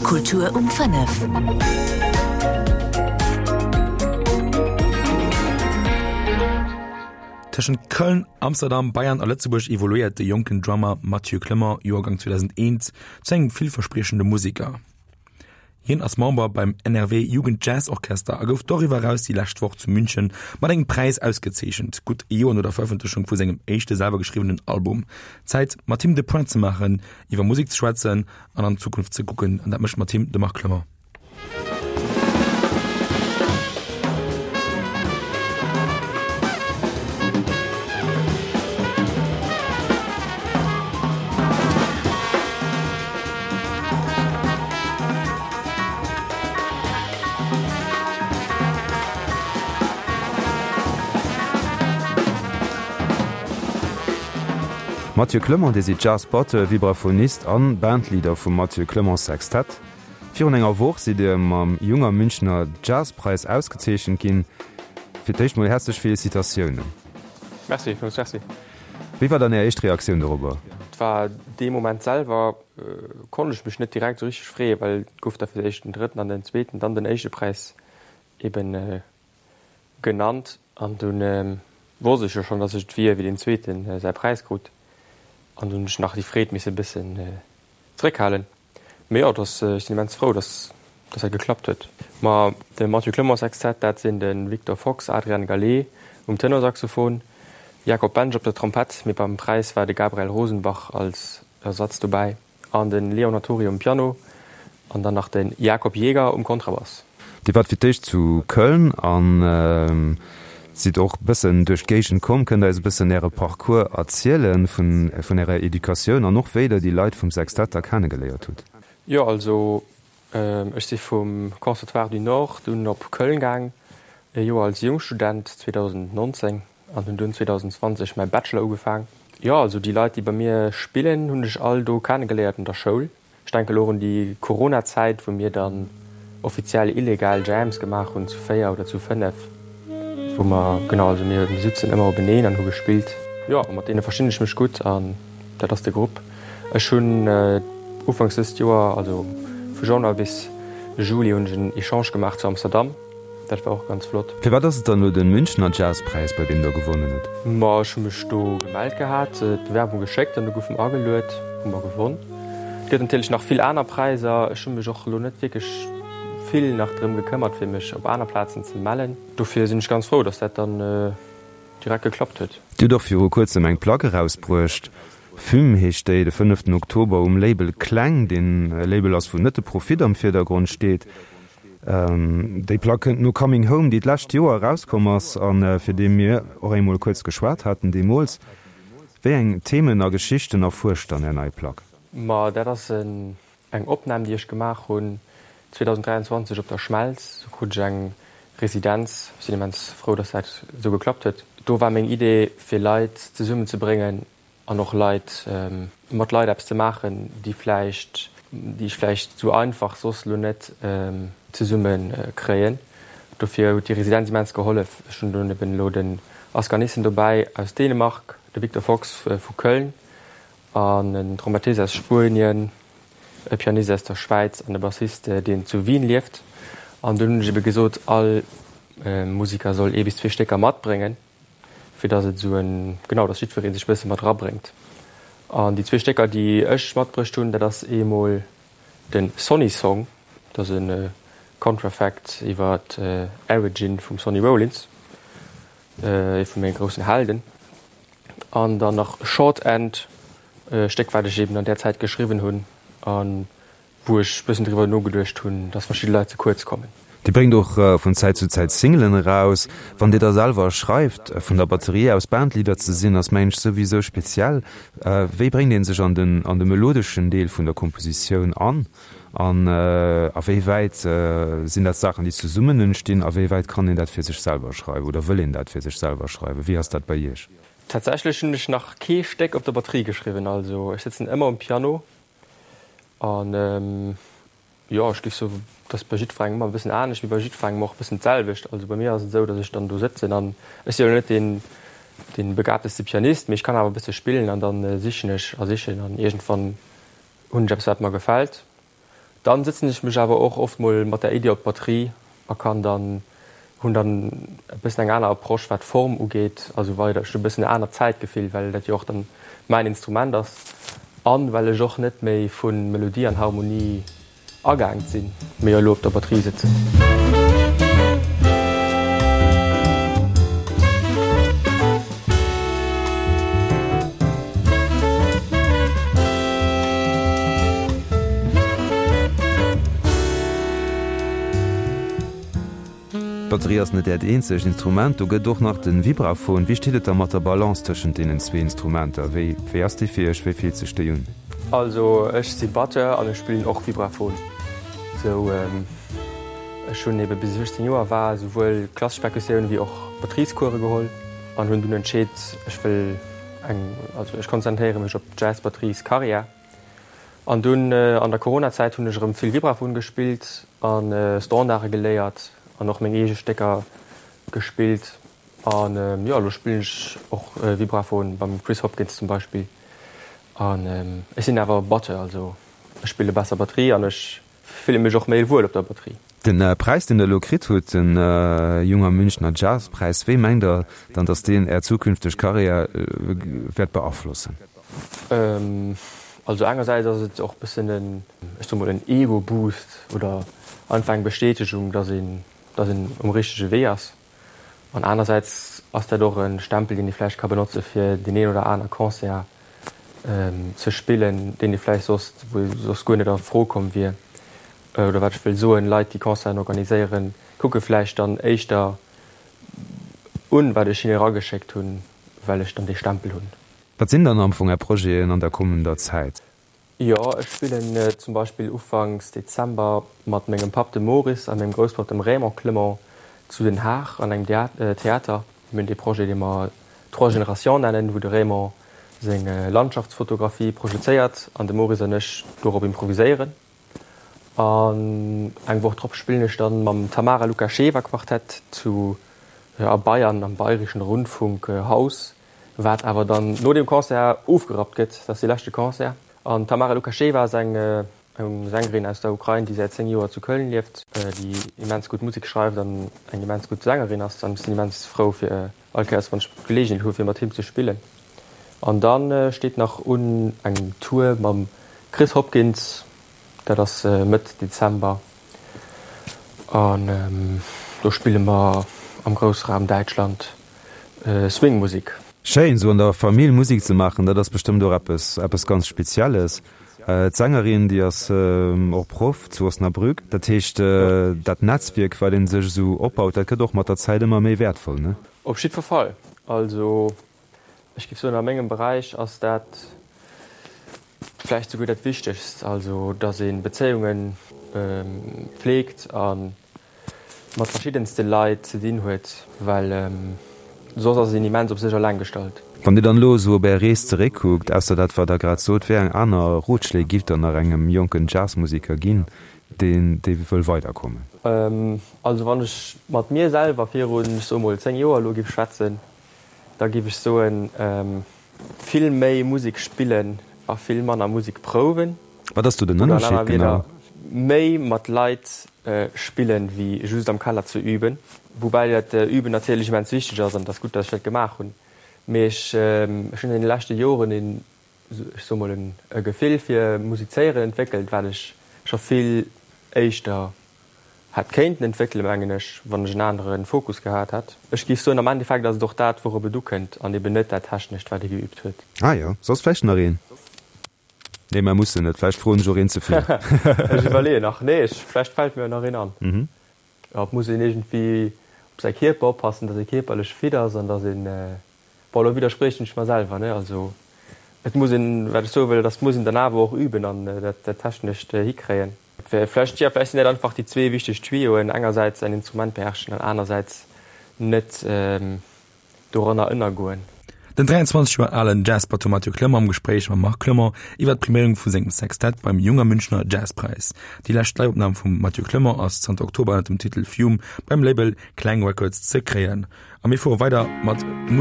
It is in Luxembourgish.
Kultur um 5. Tëschent Köln, Amsterdam, Bayern a Lëtzebuerg evoluéiert de jonken Drummer Mathieu Clement, Joergang 2001, zu engem villverspriechende Museker. Hien ass Member beim NRW Jugend Jazz Orchester a gouf doriwwer eraus déi lescht Woch zu München mat engem Präis ausgezeechent, gutt e Joer no der Verëffentlechung vu sengem éischte selwer geschriwwenen Album. Zäit mat him de Point ze maachen, iwwer Musek ze schwätzen an an d'Zukunft ze kucken, an dat mécht mat him de Marc Clement. Mathieu Clement, Dir sidd Jazz-Batteur, Vibraphonist an Bandleader vum Mathieu Clement Sextett. Virun enger Woch sidd Dir mam Junger Münchner Jazzpreis ausgezeechent ginn. Fir d'éischt mol häerzlech Felicitatiounen. Merci, villmools merci. Wéi war dann Är éischt Reaktioun dorobber? Et war dee Moment selwer konnt ech mech net direkt esou richteg freeën, well et gouf da fir d'éischt den drëtten an den zweeten, dann den éischte Präis eben genannt. An dunn wosst ech jo schonn, dass ech et wier, wéi deen zweeten säi Präis krut. An dunn hunn ech nach déi Freed misse bëssen zeréckhalen. Mee jo, dass, ech sinn immens frou, dass dass dat geklappt huet. Ma de Mathieu Clement Sextett, dat sinn de Victor Fox, Adrian Gallet um Tenorsaxophon, Jakob Bensch op der Trompett, mee beim Präis war de Gabriel Rosenbach als Ersatz dobäi, an de Leon Hattori um Piano an dann nach de Jakob Jäger um Kontrabass. Dir waart fir d'éischt zu Köln an sidd och bëssen duerch d'Géigend komm. Kënnt der eis e bëssen äre Parcours erzielen vun vun ärer Educatioun an och wéi der déi Leit vum Sextett da kennegeléiert hutt? Jo, also ech si vum Conservatoire du Nord dunn op Köln gaang, e Joer als Jungstudent 2019 an hunn dunn 2020 mäi Bachelor ugefaang. Jo, also déi Leit déi bei mir spillen hunn ech all do kennegeléiert an der Schoul. Ech denken elo och un déi Corona-Zäit, wou mir dann offiziell illegal Jams gemaach hunn, zu 4 oder zu 5, wou mer, genau, also mir sutzen ëmmer openeen an hu gespillt. Jo, a mat deene verstinn ech mech gutt an dat ass de Grupp. Ech hunn ufanks dëst Joer, also vu Januar bis Juli hunn ech en Echange gemaach zu Amsterdam. Dat war och ganz flott. Firwat ass et dann elo den Münchner Jazzpräis, bei deem der gewonnen hutt? Ma ech hu mech do gemellt gehat, d'Bewerbung geschéckt an du goufe mer ageluet, hu mer gewonn. Et gëtt natierlech nach vill aner Präiser. Ech hu mech och elo net wierklech vill nach drëm gekëmmert, fir mech op aner Plazen ze mellen. Dofir sinn ech ganz frou, dass dat dann direkt geklappt huet. Dir hutt och viru kuerzem eng Plack erausbruecht, Fume heescht déi, de fënneften Oktober um Label Kleng, deen e Label ass, wou net de Profit am Virdergrond steet. Déi Plack kënnt no Coming Home, déi d'lescht Joer erauskomm ass a fir déi mir och eemol kuerz geschwat haten deemools. Wéi eng Themen a Geschichten erfuerscht dann Är nei Plack? Ma dat ass eng Opnam, déi ech gemaach hunn 2023 op der Schmelz. Do krut ech eng Residenz. Ech sinn immens frou, dass dat esou geklappt huet. Do war meng Idee, fir Leit zesummenzebréngen, an och Leit, mat Leit eppes ze maachen, déi vläicht, déi ech vläicht esou einfach soss elo net zesumme kréien. Dofir huet déi Residenz immens gehollef. Ech hunn dunn eben elo den Asger Nissen dobäi aus Dänemark, de Victor Fox vu Köln an en Trompettist aus Spuenien, e Pianist aus der Schwäiz an e Bassist, deen zu Wien lieft. An dunn hunn ech ebe gesot, all Musiker soll ee bis zwee Stécker matbréngen. fir dass et esou en, genau, dass jiddweree sech e bësse mat erabréngt. An déi zwee Stécker, déi ech matbruecht hunn, dat ass eemol de Sonny Song, dat ass e Contrafact iwwer d'Origin vum Sonny Rollins, ee vu menge groussen Helden, an dann nach Short End, e Stéck, wat ech eeben an där Zäit geschriwwen hunn a wou ech bëssen driwwer nogeduecht hunn, dass verschidde Leit ze kuerz kommen. Dir bréngt och vun Zäit zu Zäit Singlen eraus. Wann Dir da selwer schreift, vun der Batterie aus Bandleader ze sinn, ass mengen ech souwisou speziell. Wéi bréngt ee sech an den an de melodeschen Deel vun der Kompositioun an? An a wéi wäit sinn dat Saachen, déi zesummen entstinn? A wéi wäit kann een dat fir sech selwer schreiwen oder wëll een dat fir sech selwer schreiwen? Wéi ass dat bei Iech? Tatsächlech hunn ech nach kee Stéck op der Batterie geschriwwen. Also ech sëtzen ëmmer um Piano An jo, ech géif soen, et ass bei jiddwerengem ëmmer e bëssen anescht, mee bei jiddwerengem och e bëssen d'selwecht. Also bei mir ass et esou, datt ech dann do sëtzen an ech si jo net deen, dee begabteste Pianist, mee ech kann awer e bësse spillen an da sichen ech a sichen an iergendwann hunn ech eppes, wat mer gefält. Dann sëtzen ech mech awer och oft mol mat der Iddi op d'Batterie a kann dann, hunn dann e bëssen eng aner Approche wat d'Form ugeet a sou weider. Ech hunn e bëssen e anert Zäitgefill, well dat jo och dann mäin Instrument ass an well ech och net méi vu Melodie an Harmonie agaangt sinn, mee elo op der Batterie sëtzen. D'Batterie ass net Äert eenzegt Instrument, do gëtt och nach de Vibraphon. Wéi steet et da mat der Balance tëschent deenen zwee Instrumenter? Wéi wéi ass déi fir Iech? Wéi fillt sech déi un? Also ech si Batteur an ech spillen och Vibraphon. Sou ech hunn ebe bis ech 18 Joer war souwuel klassesch Perkussioun wéi och Batteriescourse geholl an hunn dunn entscheet ech wëll eng, also ech konzentréiere mech op d'Jazz-Batterieskarriär. An dunn an der Coronazäit hunn ech erëm vill Vibraphon gespillt a Standarde geléiert an och meng eege Stécker gespillt. An jo, elo spillen ech och Vibraphon beim Chris Hopkins zum Beispill. An ech sinn awer Batteur, also ech spille besser Batterie an ech Fille mech och méi wuel op der Batterie. Den Präis deen der elo kritt hutt, den Junger Münchner Jazzpräis, wéi mengt der dann, datt deen är zukünfteg Karriär wäert beaflossen? Also engersäits ass et och bëssen en, ech soe mol en Ego-Boost oder einfach eng Bestätegung, datt een, datt een um richtege Wee ass. An anersäits ass dat och e Stempel, deen ee vläicht ka benotze fir deen een oder aner Concert ze spillen, deen ee vläicht soss, wou ee soss guer net a Fro komm wier. Oder wat ech wëll soen, Leit, déi Concerten organiséieren, kucke vläicht dann éischter un, wat ech hinne erageschéckt hunn, well ech dann dee Stempel hunn. Wat sinn dann am Fong Är Projeten an der kommender Zäit? Jo, ech spillen zum Beispill ufanks Dezember mat mengem Papp, dem Maurice, a mengem Grousspapp, dem Raymond Clement, zu Den Haag an engem Theater. Mir hunn dee Projet, dee mer Trois Générations nennen, wou de Raymond seng Landschaftsfotografie projezéiert an de Maurice an ech dorop improviséieren. An eng Woch drop spillen ech dann mam Tamara Lukasheva Quartett zu a Bayern am Bayerischen Rundfunkhaus. Wat awer dann no deem Concert ofgerappt gëtt. Dat ass dee leschte Concert. An d'Tamara Lukasheva ass eng Sängerin aus der Ukrain, déi säit 10 Joer zu Köln lieft, déi immens gutt Musek schreift an eng immens gutt Sängerin ass. An ech sinn immens frou fir all Kéiers, wann ech d'Geleegenheet hu fir mat him ze spillen. An da steet nach un eng Tour mam Chris Hopkins, dat ass Mëtt Dezember. An do spille mer am Groussraum Däitschland. Swing-Musik. Schéin, sou an der Famill Musik ze maachen, dat ass bestëmmt och eppes eppes ganz Spezielles. D'Sängerin, déi ass och Proff zu Osnabrück. Dat heescht, dat Netzwierk, wat ee sech esou opbaut, dat gëtt och mat der Zäit ëmmer méi wäertvoll, ne? Op jiddwer Fall. Also ech géif soen, a mengem Beräich ass dat vläicht souguer dat Wichtegst, also datt ee Bezéiunge fleegt a mat verschiddenste Leit ze dinn huet, well soss ass een immens op sech eleng gestallt. Wann Dir dann elo esou op Är Rees zeréckkuckt, ausser dat wat Der grad sot, wéi eng aner Rotschléi giff Der nach engem jonken Jazzmuseker ginn, deen dee wëll weiderkommen? Also wann ech mat mir selwer virun, ech soe mol 10 Joer elo giff schwätzen, da giff ech soen, vill méi Musek spillen a vill manner Musek prouwen. Wat ass do den Ënnerscheed genau? Méi mat Leit spillen, wéi just am Keller ze üben. Woubäi dat Üben natierlech immens wichteg ass an et ass gutt, datt ech dat gemaach hunn. Mee ech hunn an deene leschte Joren een, ech soe mol, e Gefill fir Musizéieren entwéckelt, wat ech scho vill éischter hätt kéinten entwéckelen, mengen ech, wann ech en anere Fokus gehat hätt. Ech géif soen, am Endeffekt ass et och dat, wourop et ukënnt an eben net dat Technescht, wat ee geübt huet. Ah jo, soss vläicht nach een? Nee, mer mussen net. Vläicht froen ech och een ze vill. Ech iwwerleeën nach. Nee, ech, vläicht fält mir nach een an. Jo, et muss een iergendwéi op säi Kierper oppassen, datt ee kierperlech fit ass an datt een, bon, elo widderspriechen ech mer selwer, ne, also et muss een, wat ech soe wëll, et ass, muss een dann awer och üben an dat Technescht hikréien. Vläicht, jo, vläicht sinn dat einfach déi zwee wichteg Tuyauxen, engersäits säin Instrument beherrschen an anersäits net doranner ënnergoen. Den 23 Joer alen Jazzbatteur Mathieu Clement am Gespréich mam Marc Clement iwwer d'Priméierung vu sengem Sextett beim Junger Münchner Jazzpreis. Déi lescht Live-Opnam vum Mathieu Clement ass zanter Oktober ënner dem Titel Fume beim Label Klang Records ze kréien. A mir fuere weider mat Musek.